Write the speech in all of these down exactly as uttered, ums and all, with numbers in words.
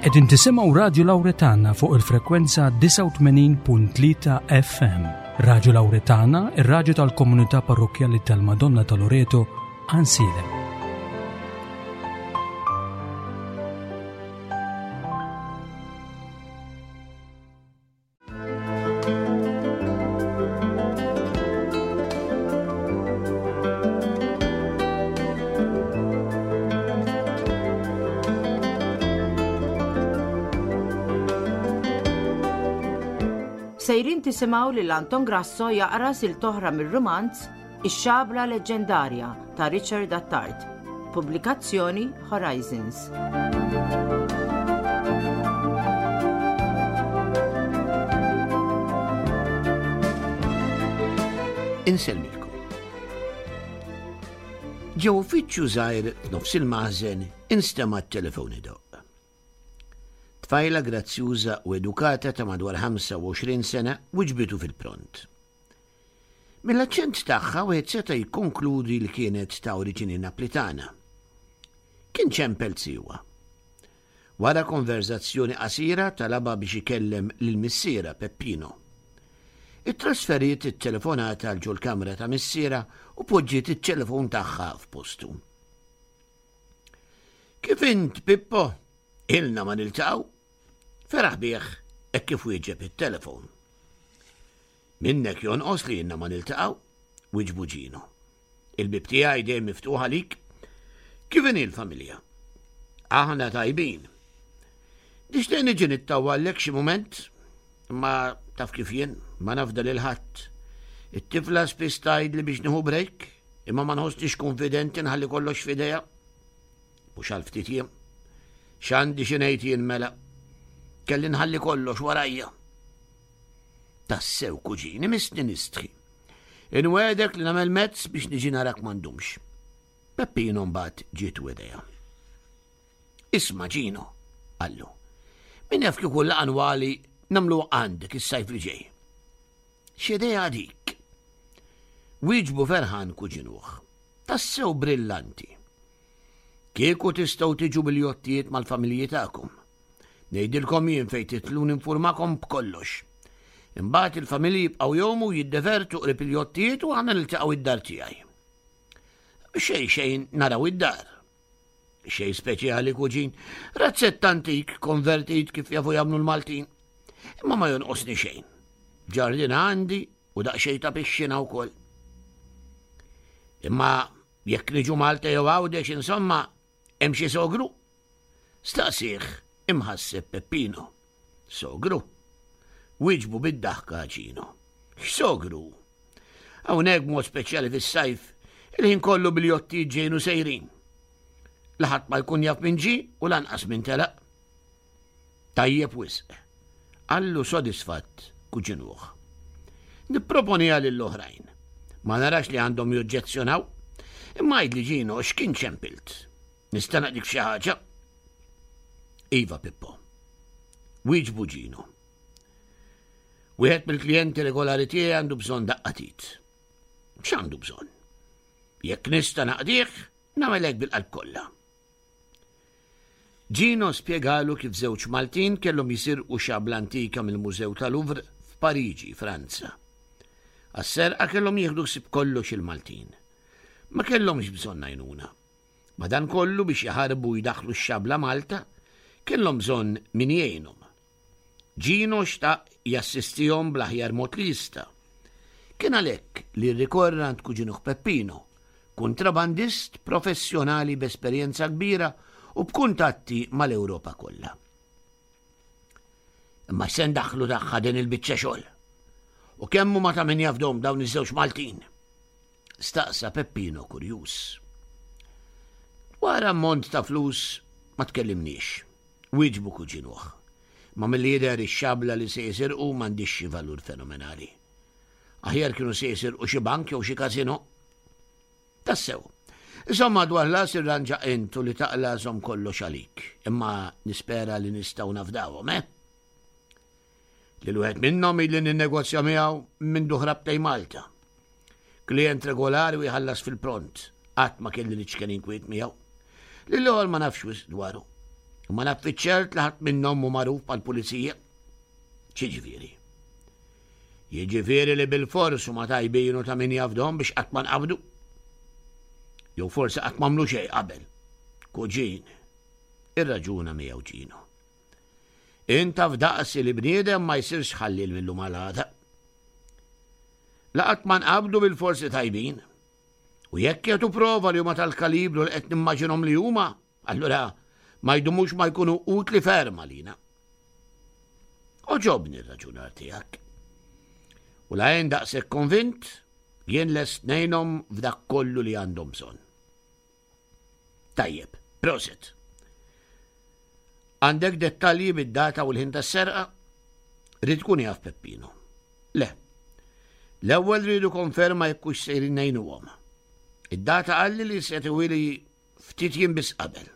Qegħdin tisimgħu Radju Lawretana fuq il-frekwenza disgħa u tmenin punt tlieta F M. Radju Lawretana, ir-radju tal-Komunità Parrokkjali tal-Madonna ta' Loreto, Għajnsielem. Sejrin tisimgħu lil Anton Grasso jaqra silta oħra mir-rumanz Ix-Xabla Leġġendarja ta' Richard Attard. Pubblikazzjoni Horizons. Insellmilkom. Ġo uffiċċju żgħir f'nofs il-maħżen instema' t-telefon idoqq. Tfajla grazzjuża u edukata ta' madwar ħamsa u għoxrin sena wiġbitu fil-pront. Mill-aċċent tagħha wieħed seta' jikkonkludi li kienet ta' oriġini Naplitana. Kien ċempel zijuha. Wara konverzazzjoni qasira talabha biex ikellem lil missierha Peppino. Ittrasferiet it-telefonata għal ġol-kamra ta' missierha u poġġiet it-telefon tagħha f'postu. "Kif int, Pippo? Ilna ma niltaqgħu." Feraħ bih hekk kif wieġeb it-telefon. "Minnek jonqos li ilna ma niltaqgħu," wiġbu Ġino. "Il-bib tiegħi dejjem miftuħ għalik. Kif inhi l-familja?" "Aħna tajbin. Nixtieq niġi nittawwallek xi mument, imma taf kif jien, ma nafda lil ħadd. It-tifla spiss tgħidli biex nieħu break, imma ma nħossnix konfidenti nħalli kollox f'idejha. Mhux għal ftit jiem. X'għandi xi ngħid jien mela? Kelli nħalli kollox warajja." "Tassew, kuġini, missni nistħi. Inwegħdek li nagħmel mezz biex niġi narak ma ndumx." Peppino mbagħad ġietu idea. "Isma' Ġino," qallu. "Min jaf kieku laqgħa annwali nagħmlu għandek is-sajf li ġej." "X'idea dik!" Wieġbu ferħan kuġinuh. "Tassew brillanti. Kieku tistgħu tiġu bil-jottijiet mal-familji tagħkom. Ngħidilkom jien fejn tidħlu, ninfurmakom b'kollox. Imbagħad il-familji jibqgħu jgħumu, jiddevertu qrib il-jottijiet u aħna niltaqgħu id-dar tiegħi. Xejn xejn naraw id-dar." "Xejn speċjali, kuġin, razzett antik konvertit kif jafu jagħmlu l-Maltin. Imma ma jonqosni xejn. Ġardin għandi u daqsxejn ta' pixxina wkoll." "Imma jekk niġu Malta jew Għawdex, insomma, hemm xi sogru?" staqsieh imħasseb Peppino. "Sogru?" Wieġbu bid-daħka Ġino. "X'sogru? Hawnhekk mod speċjali fis-sajf, il-ħin kollu bil-jotti ġejjin u sejrin. La ħadd ma jkun jaf min ġie u lanqas min telaq." "Tajjeb wisq," qallu sodisfatt kuġinuh. "Nipproponiha lill-oħrajn. Ma narax li għandhom joġġezzjonaw. Imma għidli Ġino, x'kien ċempilt? Nista' naqdik xi ħaġa?" "Iva, Pippo," wieġbu Ġino. "Wieħed mill-klijenti regolari tiegħi għandu bżonn daqqa t'id." "X'għandu bżonn? Jekk nista' naqdih, nagħmelek bil-qalb kollha." Ġino spjegalu kif żewġ Maltin kellhom jisirqu xabla antika mill-Mużew tal-Louvre f'Pariġi, Franza. Għas-serqa kellhom jieħdu ħsieb kollox il-Maltin. Ma kellhomx bżonn għajnuna. Madankollu biex jaħarbu jdaħħlu x-xabla Malta, kellhom bżonn min jgħinhom. Ġino xtaq jassistihom bl-aħjar mod li jista'. Kien għalhekk li rrikorra għand kuġinuh Peppino, kontrabandist professjonali b'esperjenza kbira u b'kuntatti mal-Ewropa kollha. "Imma se ndaħħlu tagħha din il-biċċa xogħol? U kemm huma ta' min jafdhom dawn iż-żewġ Maltin?" staqsa Peppino kurjuż. "Wara ammont ta' flus ma tkellimniex," wieġbu kuġinuh. "Ma milli jidher ix-xabla li se jisirqu m'għandhiex xi valur fenomenali. Aħjar kienu se jisirqu xi bank jew xi kasino." "Tassew. Insomma, dwar ħlas irranġa int u li taqla' żomm kollox għalik. Imma nispera li nistgħu nafdawhom, eh? Lil wieħed minnhom ili ninnegozja miegħu minn ħrabt lejn Malta. Klient regolari u jħallas fil-pront. Qatt ma kelli l-iċken inkwiet miegħu. Lill-ieħor ma nafx wisq dwaru. Imma naf fiċ-ċert li ħadd minnhom mhu magħruf mal-pulizija. X'jiġifieri? Jiġifieri li bilfors huma tajbin u ta' min jafdhom biex qatt ma nqabdu. Jew forsi qatt m'għamlu xejn qabel. Kuġin, irraġuna miegħu Ġino. Int taf daqsi li bniedem ma jsirx ħalliel mil-lum għal għada. La qatt ma nqabdu bilforsi tajbin. U jekk jagħtu prova li huma tal-kalibru li qed nimmaġinhom li huma, allura ma jdumux ma jkunu utli ferm għalina. Għoġobni r-raġunar tiegħek. U la jien daqshekk konvint, jien lest ngħinhom f'dak kollu li għandhom bżonn. Tajjeb, prosit. Għandek dettalji bid-data u l-ħin tas-serqa? Ried ikun jaf Peppino. Le. L-ewwel rridu konferma jekk hux sejrin ngħinuhom. Id-data qalli li se tiwili ftit jiem biss qabel.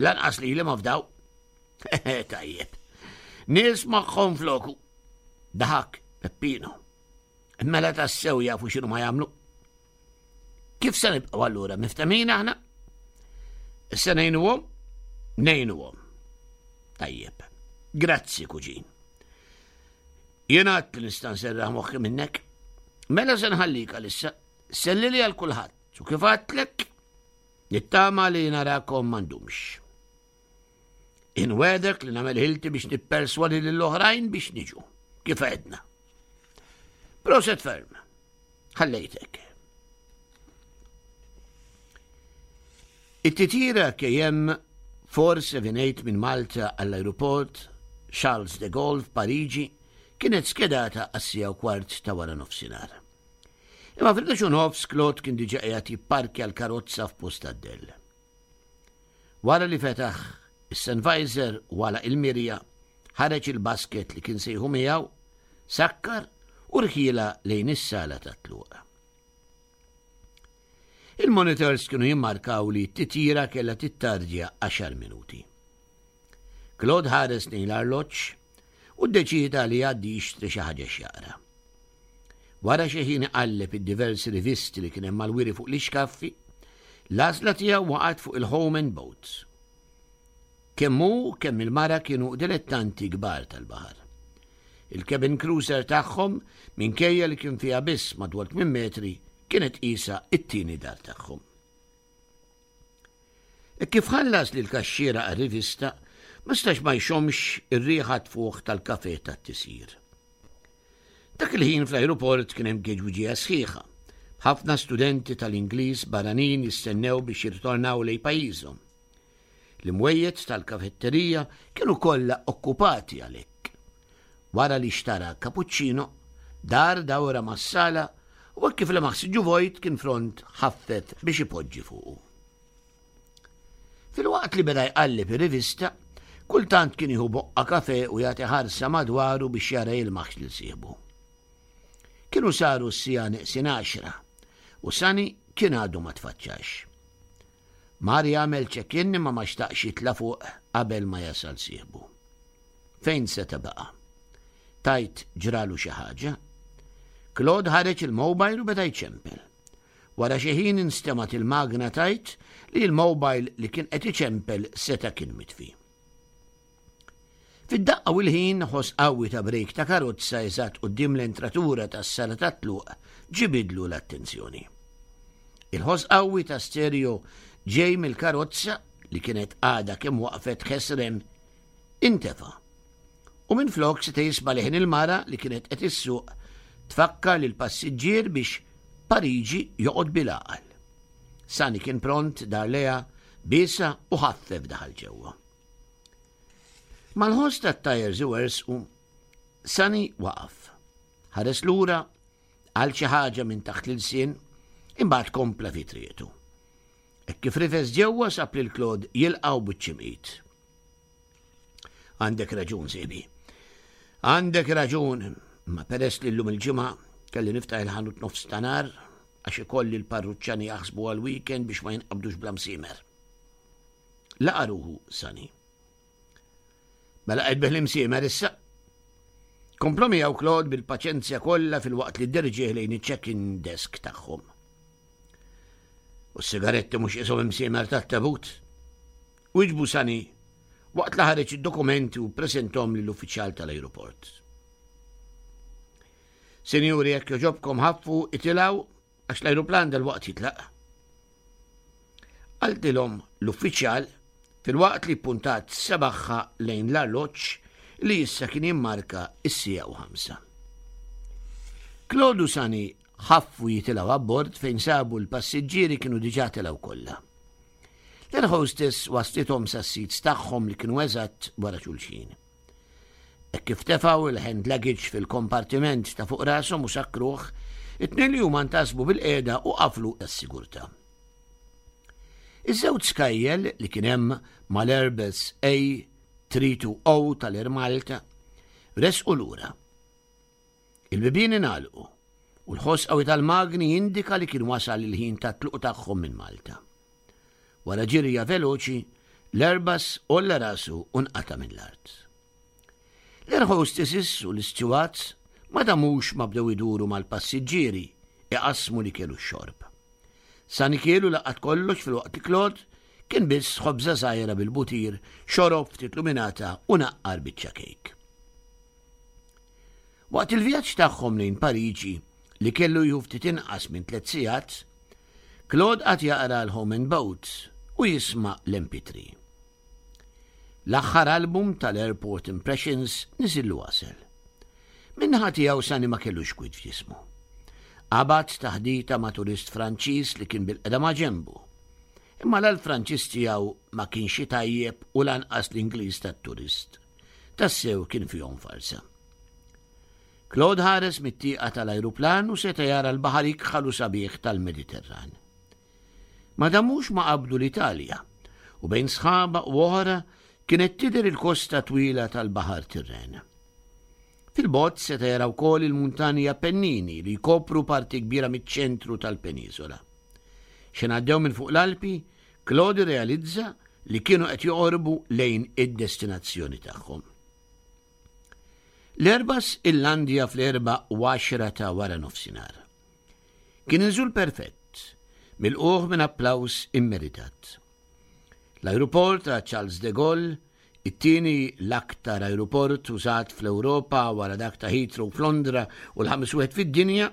Lanqas li li ma fdaw. Tajjeb. Nies magħhom floku. Daħak Peppino. Mela tassew jafu x'inhu ma jagħmlu. Kif se nibqgħu allura miftemin aħna? Se ngħinuhom? Ngħinuhom. Tajjeb. Grazzi, kuġin. Jien għad li nista' nserraħ moħħi minnek. Mela se nħallik għalissa. Sellili għal kulħadd. U kif għedtlek, nittama li narakom ma ndumx. Inwegħdek li nagħmel ħilti biex nipperswadi lill-oħrajn biex niġu. Kif għedna. Proset ferm. Ħallejtek. It-titjira K M four seven eight minn Malta għall-aeroport Charles de Gaulle f'Pariġi kienet skedata għas-siegħa u kwart ta' wara nofsinhar. Imma fil-ħdax u nofs Claude kien diġà qiegħed jipparkja l-karozza f'post tad-dell. Wara li fetaħ is-sun visor u għalaq il-mirja, ħareġ il-basket li kien sejħu miegħu, sakkar u rħiela lejn is-sala tat-tluq. Il-monitors kienu jimmarkaw li t-titjira kellha tittardja għaxar minuti. Claude ħares lejn l-arloġġ u ddeċida li jgħaddi jixtri xi ħaġa x'jaqra. Wara xi ħin iqalleb id-diversi rivisti li kien hemm mal-wiri fuq l-ixkaffi, l-għażla tiegħu waqgħet fuq il-Home and Boats. Kemm hu kemm il-mara kienu dilettanti kbar tal-baħar. Il-cabin cruiser tagħhom, minkejja li kien fiha biss madwar tmien metri, kienet qisha it-tieni dar tagħhom. E kif ħallas lil kaxxiera għar-rivista, ma stax ma jxomx ir-riħa tfuħ tal-kafe tat-tisjir. Dak il-ħin fl-aeroport kien hemm geġwiġija sħiħa. Ħafna studenti tal-Ingliż barranin jistennew biex jirritornaw lejn pajjiżhom. L-imwejjed tal-kafetterija kienu kollha okkupati għalhekk. Wara li xtara cappuccino, dar dawra mas-sala u hekk kif lemaħ siġġu vojt kien front ħaffef biex ipoġġi fuqu. Filwaqt li beda jqalleb ir-rivista, kultant kien jieħu boqqa kafe u jagħti ħarsa madwaru biex jara jilmaħx lil sieħbu. Kienu saru s-siegħa neqsin għaxra u Sani kien għadu ma tfaċċax. Mar jagħmel check-in imma ma xtaqx jitla' fuq qabel ma jasal sieħbu. Fejn se baqa'? Tajt ġralu xi ħaġa? Claude ħareġ il-mobile u beda jċempel. Wara xi ħin instemgħet il-magna tgħid li l-mobile li kien qed iċempel seta' kien mitfi. Fid-daqqa u l-ħin ħoss qawwi ta' brejk ta' karozza eżatt quddiem l-entratura tas-sala tat-tluq ġibidlu l-attenzjoni. Il-ħoss qawwi ta' stereo ġej mill-karozza li kienet għadha kemm waqfet ħesrem intefa. U minn flok seta' jisma' leħen il-mara li kienet qed issuq tfakkar lil passiġġier biex Pariġi joqgħod bil-għaqal. Sani kien pront dar lejha biesha u ħaffef daħal ġewwa. Mal-ħoss tat-tires iwerżqu, Sani waqaf. Ħares lura għal xi ħaġa minn taħt l-ilsien, imbagħad kompla fi triqtu. Hekk kif rifes ġewwa sab lil Claude jilqgħu biċ-ċimqit. Għandek raġun, sieħbi. Għandek raġun, ma peress li llum il-ġimgħa kelli niftaħ il-ħanut nofs ta' nhar għax ikolli l-parruċċani jaħsbu għal-weekend biex ma jinqabdux bla msiemer. Laqa' ruħu Sani. Mela qed tbigħ l-imsiemer issa. Kompla miegħu Claude bil-paċenzja kollha filwaqt li dderġih lejn iċ-check-in desk tagħhom. U s-sigaretti mhux qishom imsiemer tat-tabut. Wieġbu Sani waqt li ħareġ id-dokumenti u ppreżentahom lill-uffiċjal tal-ajruport. Sinjuri, jekk jogħġobkom ħaffu itilgħu għax l-ajruplan dalwaqt jitlaq. Qaltilhom l-uffiċjal filwaqt li puntat sebagħha lejn l-arloġġ li issa kien jimmarka is-siegħa u ħamsa. Claude u Sani ħaffu jitilgħu abbord fejn sabu l-passiġġieri kienu diġà telgħu kollha. L-air hostess waslithom sas-seats tagħhom li kienu eżatt wara xulxin. Hekk kif tefgħu il-hand luggage fil-kompartiment ta' fuq rashom u sakkruh, it-tnejn li huma ntasbu bilqiegħda u qaflu tas-sigurtà. Iż-żewġ skajjel li kien hemm mal-Airbus A tliet mija u erbgħin tal-Air Malta resqu lura. Il-bibien ingħalqu u l-ħoss qawwi tal-magni jindika li kien wasal il-ħin ta' tluq tagħhom minn Malta. Wara ġirja veloċi, l-Airbus għolla rasu u nqata' mill-art. L-air hostesses u l-stewards ma damux ma bdew iduru mal-passiġġieri iqassmu l-ikel u x-xorb. Sani kielu laqat kollox filwaqt li Claude kien biss ħobża żgħira bil-butir, xorob ftit luminata u naqqar biċċa kejk. Waqt il-vjaġġ tagħhom lejn Pariġi li kellu jieħu ftit inqas minn tliet sigħat, Claude qagħad jaqra l-Home and Boat u jisma' l-M P three. L-aħħar album tal-Airport Impressions niżillu għasel. Min-naħa tiegħu Sani ma kellux kwiet f'ġismu. Qabad taħdita ma' turist Franċiż li kien bilqiegħda ma' ġenbu. Imma l-Franċiż tiegħu ma kienx tajjeb u lanqas l-Ingliż tat-turist. Tassew kien fihom farsa. Claude ħares mit-tieqa tal-ajruplan u seta jara l-baħar ikħal u sabiħ tal-Mediterran. Ma damux ma qabdu l-Italja u bejn sħaba u oħra kienet tidher il-kosta twila tal-Baħar Tirren. Fil-bogħod seta jara wkoll il-muntani Appennini li jkopru parti kbira miċ-ċentru tal-penisola. X'ħin għaddew minn fuq l-Alpi, Claude realizza li kienu qed joqorbu lejn id-destinazzjoni tagħhom. L-Airbus illandja fl-erba u għaxra ta' wara nofsinhar. Kien inżul perfett, milqugħ minn applaus immeritat. L-aeroport ta' Charles de Gaulle, it-tieni l-aktar aeroport użat fl-Ewropa wara dak ta' Heathrow f'Londra u l-ħames wieħed fid-dinja,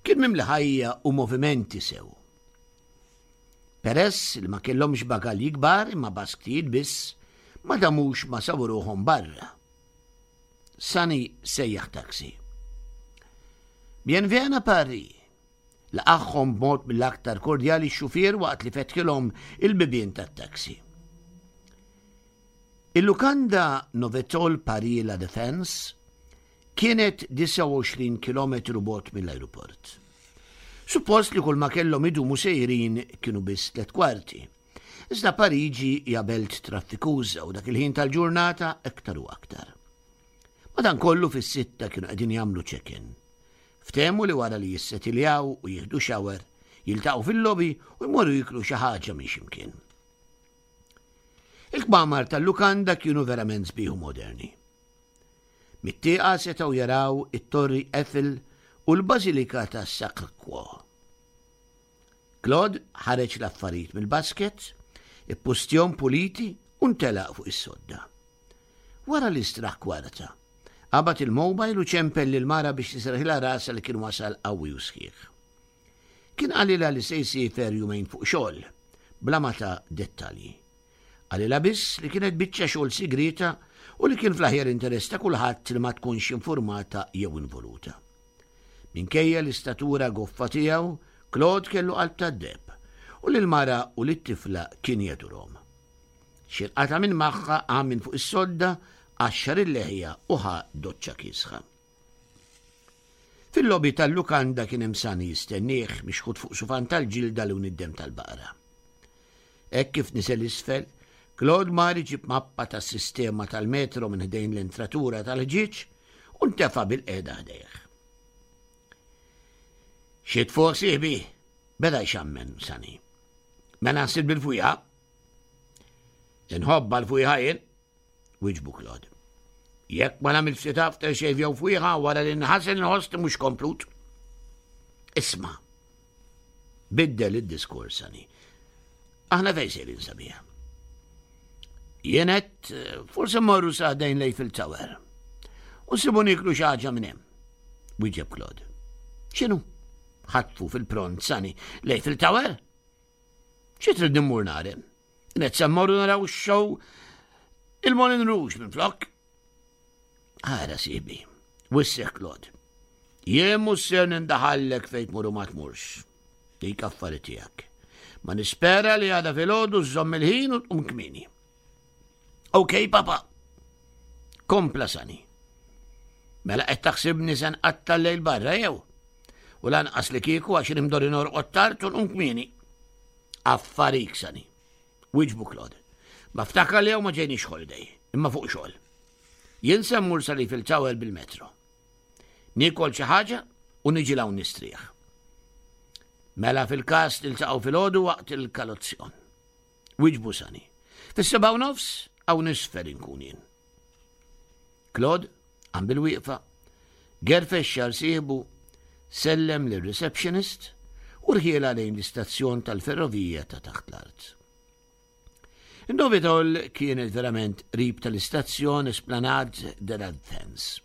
kien mimli ħajja u movimenti sew. Peress li ma kellhomx bagalji kbar imma basktijiet biss, ma damux ma sabu ruħhom barra. Sani sejjaħ taxi. "Bienvenue à Paris." Laqagħhom b'mod mill-aktar kordjali x-xufier waqt li fetħilhom il-bibien tat-taxi. Il-lukanda Novotel Paris La Défense kienet disgħa u għoxrin kilometru bogħod mill-aeroport. Suppost li kull ma kellhom idumu sejrin kienu biss tliet kwarti. Iżda Pariġi hija belt traffikuża u dak il-ħin tal-ġurnata aktar u aktar. Madankollu fis-sitta kienu qegħdin jagħmlu check-in. Ftehmu li wara li jissetiljaw u jieħdu shower, jiltaqgħu fil-lobby u jmorru jiklu xi ħaġa minn x'imkien. Il-kmamar tal-lukanda kienu verament sbieħ u moderni. Mit-tieqa setgħu jaraw it-Torri Eiffel u l-Bażilika ta' Sacré-Cœur. Claude ħareġ l-affarijiet mill-basket, ippustjahom puliti u ntelaq fuq is-sodda. Wara li straħ kwarta, qabad il-mobile u ċempel lil mara biex iserrħilha rasha li kien wasal qawwi u sħiħ. Kien qalilha li se jsiefer jumejn fuq xogħol, bla ma ta dettalji. Qalilha biss li kienet biċċa xogħol sigrita u li kien fl-aħjar interess ta' kulħadd li ma tkunx informata jew involuta. Minkejja l-istatura goffa tiegħu, Claude kellu qalb tad-deheb u lil-mara u lit-tifla kien jadurhom. X'ħin qata' minn magħha, qam minn fuq is-sodda, qaxxar il-leħja u ħa doċċa kiesħa. Fil-lobby tal-lukanda kien hemm Sani jistennieh mixħut fuq sufan tal-ġilda lewn id-demm tal-baqra. Hekk kif niżel isfel, Claude mar iġib mappa tas-sistema tal-metro minn ħdejn l-entratura tal-ħġieġ u ntefa' bilqiegħda ħdejh. "Xi tfuħ, sieħbi?" beda jxammen Sani. "Mela nsir bil-fwieħa?" "Inħobbha l-fwieħa jien," wieġbu Claude. "Jekk ma nagħmel ftit after shave jew fwieħa wara li nħasel nħoss mhux komplut." "Isma'." Biddel id-diskors Sani. "Aħna fejn sejrin, sabiħa?" Jien għedt, forse mmorru sa ħdejn l-Eiffel Tower. U nsibu nieklu xi ħaġa minn hemm. Wieġeb Claude. X'inhu? Ħatfu fil-pront Sani. L-Eiffel Tower? Xi trid immur nara? Għedt se mmorru naraw show il-Moulin Rouge minn flok. Ara sieħbi, wissieh Claude. Jien mhux ser nindaħallek fejn tmur u ma tmurx. Dik affari tiegħek. Ma nispera li għada filgħodu żżomm il-ħin u tqum kmieni. Ok, papa. Kompla Sani. Mela qed taħsibni se nqatta' l-lejl barra jew? U lanqas li kieku għax imdorri norqod tard u nqum kmieni. Affarik Sani. Wieġbu Claude. Ma ftakar li ma ġejniex holiday, imma fuq xogħol. Jien se mmur sal-Eiffel Tower bil-metro. Niekol xi ħaġa u niġi 'l hawn nistrieħ. Mela fil-każ niltaqgħu filgħodu waqt il-kolazzjon. Wieġbu Sani. Fis-sebgħa u nofs hawn isfel inkun jien. Claude, qam bil-wieqfa, gerfex xagħar sieħbu, sellem lir-receptionist u rħiela lejn l-istazzjon tal-ferrovija ta' taħt l-art. In-Novotel kienet verament qrib tal-istazzjon Esplanade de la Défense.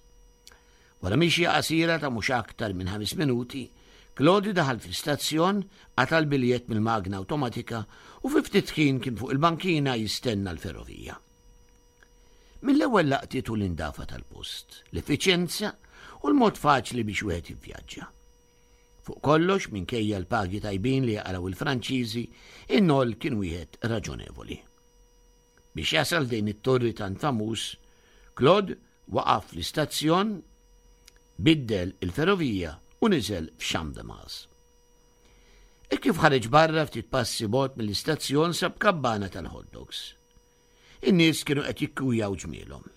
Wara mixja qasira ta' mhux aktar minn ħames minuti, Claude daħal fl-istazzjon, qata' l-biljett mill-magna awtomatika u fi ftit ħin kien fuq il-bankina jistenna l-ferrovija. Mill-ewwel laqtitu l-indafa tal-post, l-effiċjenza u l-mod faċli biex wieħed jivvjaġġa. Fuq kollox, minkejja l-pagi tajbin li jaqilgħu il-Franċiżi, in-noll kien wieħed raġonevoli. Biex jasal ħdejn it-torri tant famuż, Claude waqaf l-istazzjon, biddel il-ferrovija u niżel f'Champ de Mars. E kif ħareġ barra ftit passi bogħod mill-istazzjon sab kabbana tal-hot dogs. In-nies kienu qed jikkujjaw ġmielhom.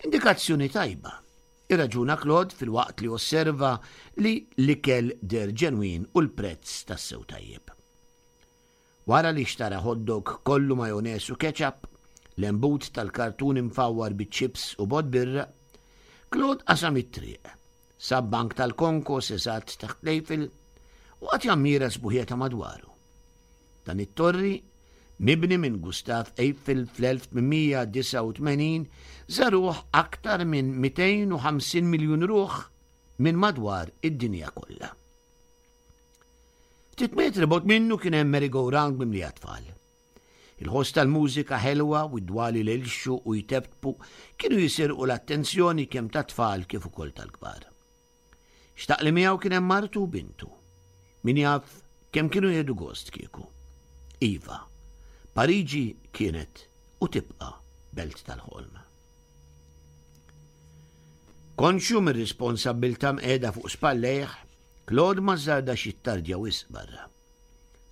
Indikazzjoni tajba. Irraġuna Claude filwaqt li osserva li l-ikel deher ġenwin u l-prezz tassew tajjeb. Wara li xtara hot dog kollu majones u ketchup, lembut tal-kartun imfawwar biċ-chips u bott birra, Claude qasam it-triq, sab bank tal-konkos eżatt taħt l-Eiffel u qagħad jammira s-sbuħija ta' madwaru. Dan it-torri, mibni minn Gustav Eiffel fl-elf tmien mija disgħa u tmenin, żaruh aktar minn mitejn u ħamsin miljun ruħ minn madwar id-dinja kollha. Ftit metri bogħod minnu kien hemm merry-go-round mimli tfal. Il-ħoss tal-mużika ħelwa u d-dwali li jlixxu u jteptpu kienu jisirqu l-attenzjoni kemm ta' tfal kif ukoll tal-kbar. Xtaq li miegħu kien hemm martu u bintu. Min jaf kemm kienu jieħdu gost kieku. Iva, Pariġi kienet u tibqa' belt tal-ħolm. Konxju mir-responsabbiltà mqiegħda fuq spallejh, Claude ma żardax jittardja wisq barra.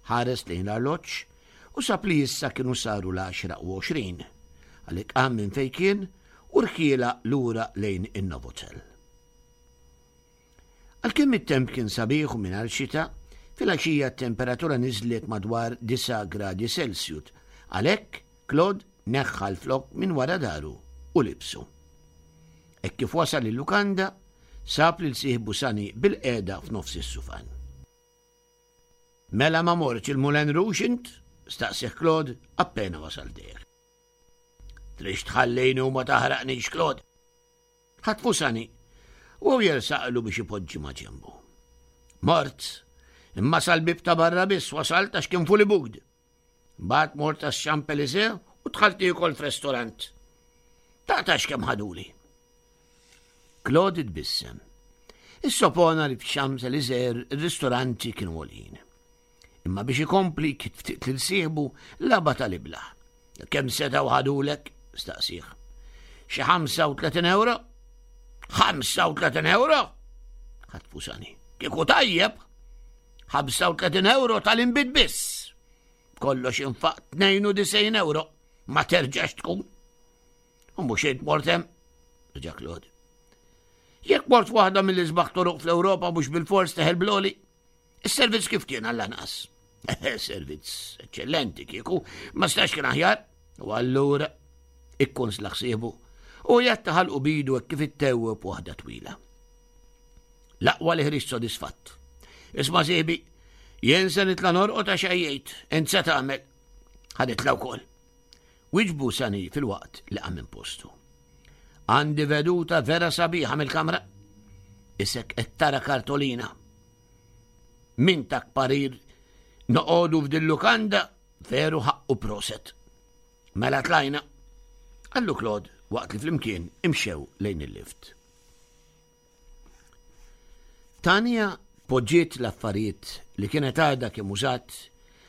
Ħares lejn l-arloġġ u sab li issa kienu saru l-għaxra u għoxrin, għalhekk qam minn fejn kien u rħiela lura lejn in-Novotel. Għalkemm it-temp kien sabiħ u mingħajr xita, fil-għaxija t-temperatura niżlet madwar disa' gradi Celsius, għalhekk Claude neħħa l-flok minn wara dahru u libsu. E kif wasal il-lukanda, sab lil sieħbu Sani bilqiegħda f'nofs is-sufan. Mela ma mortx il-Moulin Rouge int? Staqsieh Claude appena wasal ħdejh. Tridx tħallini u ma taħraqnix, Claude. Ħatfu Sani u jersaqlu biex ipoġġi ma ġembu. Mort, imma sal-bib ta' barra biss wasalt għax kien fully booked. Mbagħad mort għax-Champs-Élysées u dħalt niekol f'restorant. Taqtax kemm ħaduli. Claude tbissem. Issopona li f'Champs-Élysées ir-ristoranti kienu għoljin. Imma biex ikompli ftit lil sieħbu lagħabha tal-iblah. Kemm setgħu ħadulek? Staqsieh. Xi ħamsa u tletin euro? ħamsa u tletin euro? Ħatfu Sani. Kieku tajjeb. ħamsa u tletin euro tal-inbid biss. Kollox infaqt tnejn u disgħin euro. Ma terġax tkun. U mhux int mort hemm? Reġa' Claude. Jekk mort waħda mill-isbaħ toroq fl-Ewropa mhux bil-fors teħel bl-għoli. Is-servizz kif kien għall-anqas? Servizz eċċellenti kieku, ma stax kien aħjar. U allura ikkonsla sieħbu u jatta ħalqu b'idu kif ittewweb waħda twila. L-aqwa li ħriġt sodisfatt. Isma' sieħbi, jien se nitla' norqod għax għajjejt, int se tagħmel. Ħa nitla' wkoll. Wiġbu Sani filwaqt li qam minn postu. Għandi veduta vera sabiħa mill-kamra. Isek qed tara kartolina. Min tak parir noqogħdu f'dil-lukanda veru ħaqqu proset. Mela tlajna. Qallu Claude waqt li flimkien imxew lejn il-lift. Tanja poġġiet l-affarijiet li kienet għadha kemm użat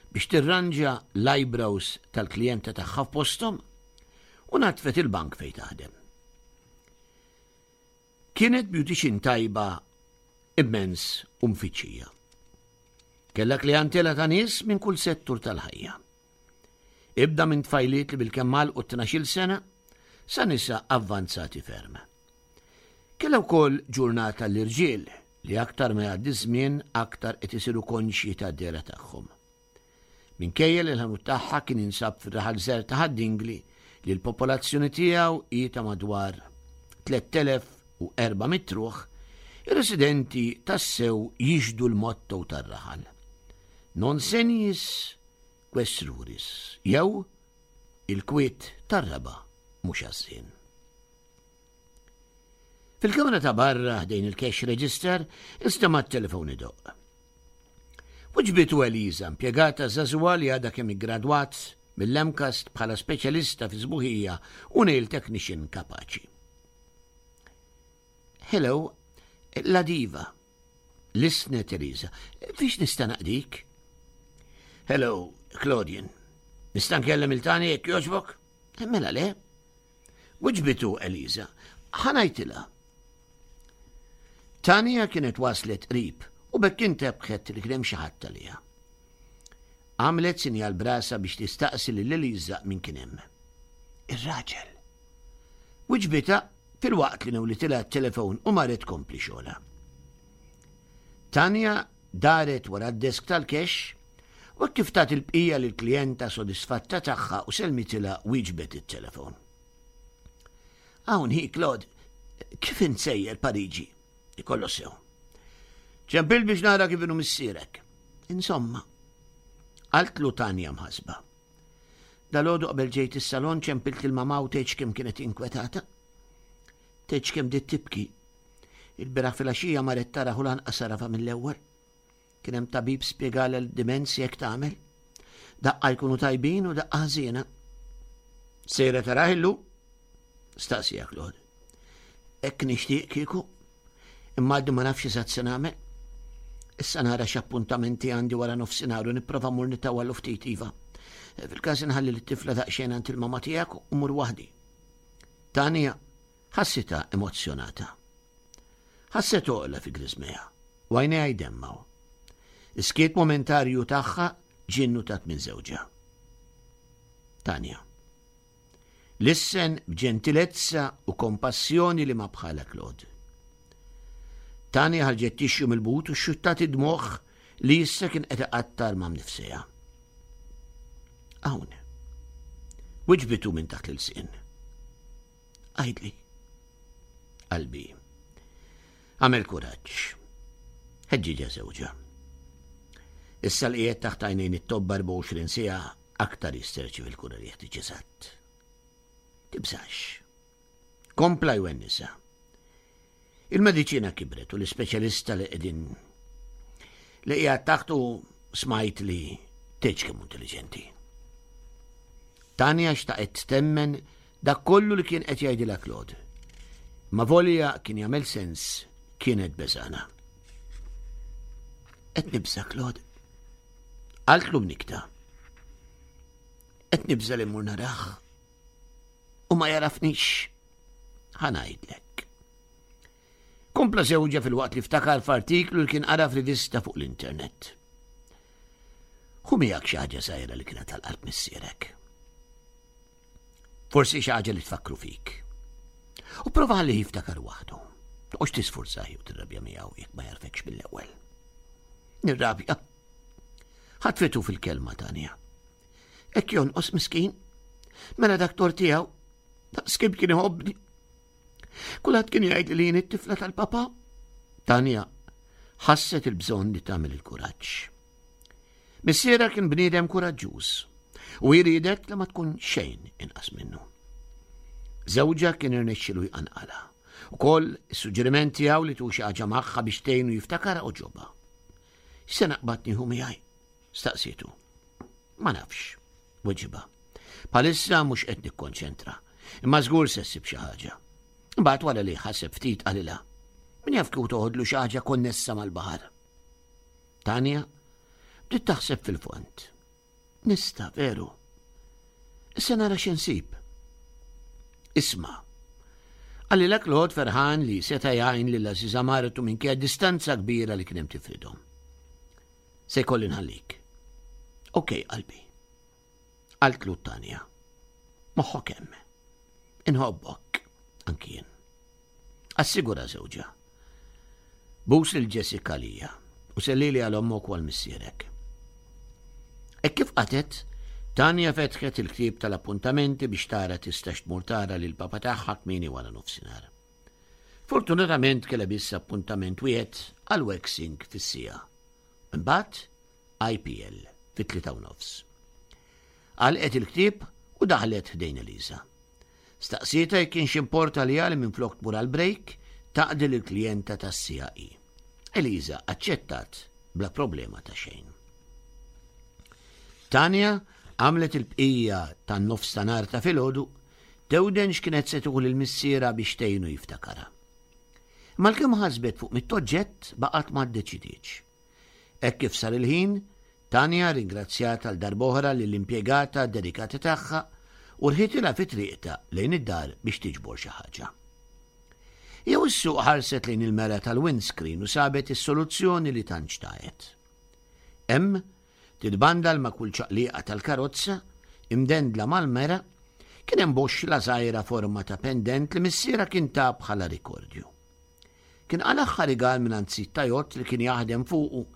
biex tirranġa l-eyebrows tal-klijenta tagħha f'posthom u natfet il-bank fejn taħdem. Kienet beautician tajba immens u mfittxija. Kellha klijantela ta' nies minn kull settur tal-ħajja. Ibda minn tfajliet li bilkemm għalqu tnax-il sena sa nisa avvanzati ferm. Kellha wkoll ġurnata l-irġiel li aktar ma jgħaddi żmien aktar qed isiru konxji tad-dehra tagħhom. Minkejja li l-ħanut tagħha kien jinsab fir-raħal żgħir ta' Ħad-Dingli li l-popolazzjoni tiegħu hi ta' madwar tlett elef u erba' mitt ruħ, ir-residenti tassew jixhdu l-motto tar-raħal. Non seniis ques ruris, jew il-kwiet tar-raba' mhux għażżien. Fil-kamra ta' barra ħdejn il-cash register instema' t-telefon idoqq. Wiġbitu Eliza, impjegata żagħżugħa li għadha kemm iggradwat mill-MCAST bħala speċjalista fi sbuħija u nail technician kapaċi. Hello, la diva. Lissnet Eliza, fiex nista' naqdik? Hello, Claudian. Nista' nkellem lil Tanja jekk jogħġbok? Mela le. Wiġbitu Eliza, ħa ngħidilha. Tanja kienet waslet qrib u b'hekk intebħet li kien hemm xi ħadd għaliha. Għamlet sinjal b'rasha biex tistaqsi lil Eliza min kien hemm. Ir-raġel. Wiġbitha filwaqt li newlitilha t-telefon u marret tkompli xogħolha. Tanja daret wara d-desk tal-cash u kif tat il-bqija lill-klijenta sodisfatta tagħha u selmitilha wieġbet it-telefon. Hawn hi Claude, kif int sejjer Pariġi? Ikollu sew. Ċempil biex nara kif inhu missierek. Insomma, qaltlu Tanja mħasba. Dalgħodu qabel ġejt is-salon ċempilt il-mama u tgħidx kemm kienet inkwetata. Tgħidx kemm bdiet tibki. Il-bieraħ filgħaxija marret tara u lanqas għarafha mill-ewwel. Kien hemm tabib spjegalha l-dimensja jekk tagħmel. Daqqa jkunu tajbin u daqqa ħażiena. Sejra tarah illum? Staqsieha Claude. Hekk nixtieq kieku. Imma għadni ma nafx eżatt se nagħmel. Issa nara x'appuntamenti għandi wara nofsinhar u nipprova mmur nitawwal ftit iva. Fil-każ inħalli lit-tifla daqsxejn għand il-mama tiegħek u mmur waħdi. Tanja ħassitha emozzjonata. Ħasset għoqla fi griżmejha u għajnejha jdemmgħu. Is-skiet momentarju tagħha ġie nnutat minn żewġha. Tanja. Lissen b'ġentilezza u kompassjoni li ma bħala Claude. Tanja ħarġet tixju mill-but u xxuttat id-dmugħ li issa kien qed iqattar ma' mnifsejha. Hawn. Wiġbitu minn taħt l-ilsien. Għidli. Qalbi. Għamel kuraġġ. Ħeġġiġha żewġha. Issa li qiegħed taħt għajnejn it-tobba erbgħa u għoxrin siegħa aktar jista' jirċievi l-kura li jeħtieġ eżatt. Tibżax. Kompla jwennisa. Il-mediċina kibret u l-ispeċjalista li qegħdin li qiegħed taħtu smajt li tgħidx kemm intelliġenti. Tanja xtaqet temmen dak kollu li kien qed jgħidilha Claude. Ma volja kien jagħmel sens kienet beżana. Qed nibża' Claude. Qaltlu b'nikta. Qed nibża' li mmur narah u ma jarafnix. Ħa ngħidlek. Kompla żewġha filwaqt li ftakar f'artiklu li kien qara f'rivista fuq l-internet. Ħu miegħek xi ħaġa żgħira li kienet tal-qalb missierek. Forsi xi ħaġa li tfakkru fik. U prova ħalli jiftakar waħdu. Toqgħodx tisfurzah jew tirrabja miegħu jekk ma jarfekx mill-ewwel. Nirrabja. Ħatfitu fil-kelma Tanja. Hekk jonqos miskin. Mela dak tort tiegħu. Daqs kemm kien iħobbni. Kulħadd kien jgħid li jien it-tifla tal-papa. Tanja ħasset il-bżonn li tagħmel il-kuraġġ. Missierha kien bniedem kuraġġuż. U jridet li ma tkun xejn inqas minnu. Żewġha kien irnexxielu jqanqalha. Ukoll is-suġġeriment tiegħu li tu xi ħaġa magħha biex tgħinu jiftakar għoġobha. X'se naqbad nieħu miegħi? Staqsietu. Ma nafx, weġibha. Bħalissa mhux qed nikkonċentra, imma żgur se ssib xi ħaġa. Imbagħad wara li ħaseb ftit qalilha. Min jaf kieku toħodlu xi ħaġa konnessa mal-baħar. Tanja bdiet taħseb fil-fond. Nista' veru. Issa nara x'insib. Isma'. Qalilha Claude ferħan li seta' jgħin lil għażiża martu minkejja distanza kbira li kien hemm tifridhom. Se jkolli nħallik. Okej, qalbi. Qaltlu Tanja. Moħħok hemm. Inħobbok, anki jien. Assigura żewġha. Bus lil Jessica lija u sellili għal ommok u għal missierek. E kif qatet, Tanja fetħet il-ktieb tal-appuntamenti biex tara tistax tmur tara lil papa tagħha kmieni wara nofsinhar. Fortunatament kellha biss appuntament wieħed għal waxing fis-siegħa. Imbagħad I P L fit-tlieta u nofs. Għalqet il-ktieb u daħlet ħdejn Elisa. Staqsietha jekk kienx importa li għal minn flok tmur għal break taqdi l-klijenta tas-C I E. Elisa aċċettat bla problema ta' xejn. Tanja għamlet il-bqija tan-nofs ta' nhar ta' filgħodu tewden x'kienet se tieħu lil missierha biex tgħinu jiftakarha. Malkemm ħasbet fuq mitt oġġett baqgħet ma ddeċidietx. Hekk kif sar il-ħin, Tanja ringrazzjat għal darb'oħra lill-impjegata dedikata tagħha u rħitilha fi triqta lejn id-dar biex tiġbor xi ħaġa. Jew is-suq ħarset lejn il-mera tal-windscreen u sabet is-soluzzjoni li tant xtaqet. Hemm titbandal ma' kull ċaqliqa tal-karozza, imdendla mal-mera, kien hemm boxla żgħira forma ta' pendent li missierha kien ta bħala rikordju. Kien qalagħha rigal minn sid ta' jott li kien jaħdem fuqu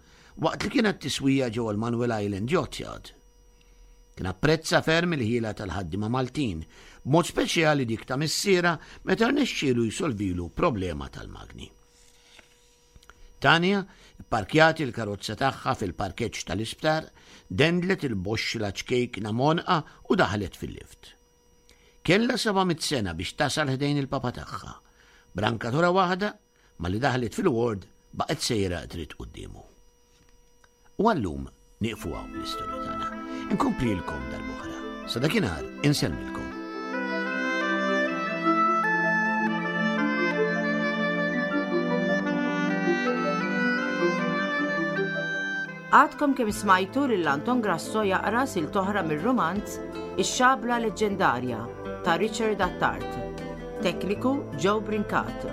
waqt li kienet tiswija ġewwa l-Manuel Island Yacht Yard. Kien apprezza ferm il-ħila tal-ħaddima Maltin, b'mod speċjali dik ta' missierha meta rnexxielu jsolvilu problema tal-magni. Tanja parkjat il-karozza tagħha fil-parkeġġ tal-isptar, dendlet il-boxla ċkejkna m'għonqha u daħlet fil-lift. Kella seba' mitt sena biex tasal ħdejn il-papa tagħha. B'rankatura waħda, malli daħlet fil-ward baqgħet sejra dritt quddiemu. U għallum nieqfu hawn l-istorja tagħna. Inkomplilkom darb'oħra. Sa dakinhar insellmilkom. Għadkom kemm smajtu lil Anton Grasso jaqra silta oħra mir-romanz Ix-Xabla Leġġendarja ta' Richard Attard. Tekniku Joe Brincat.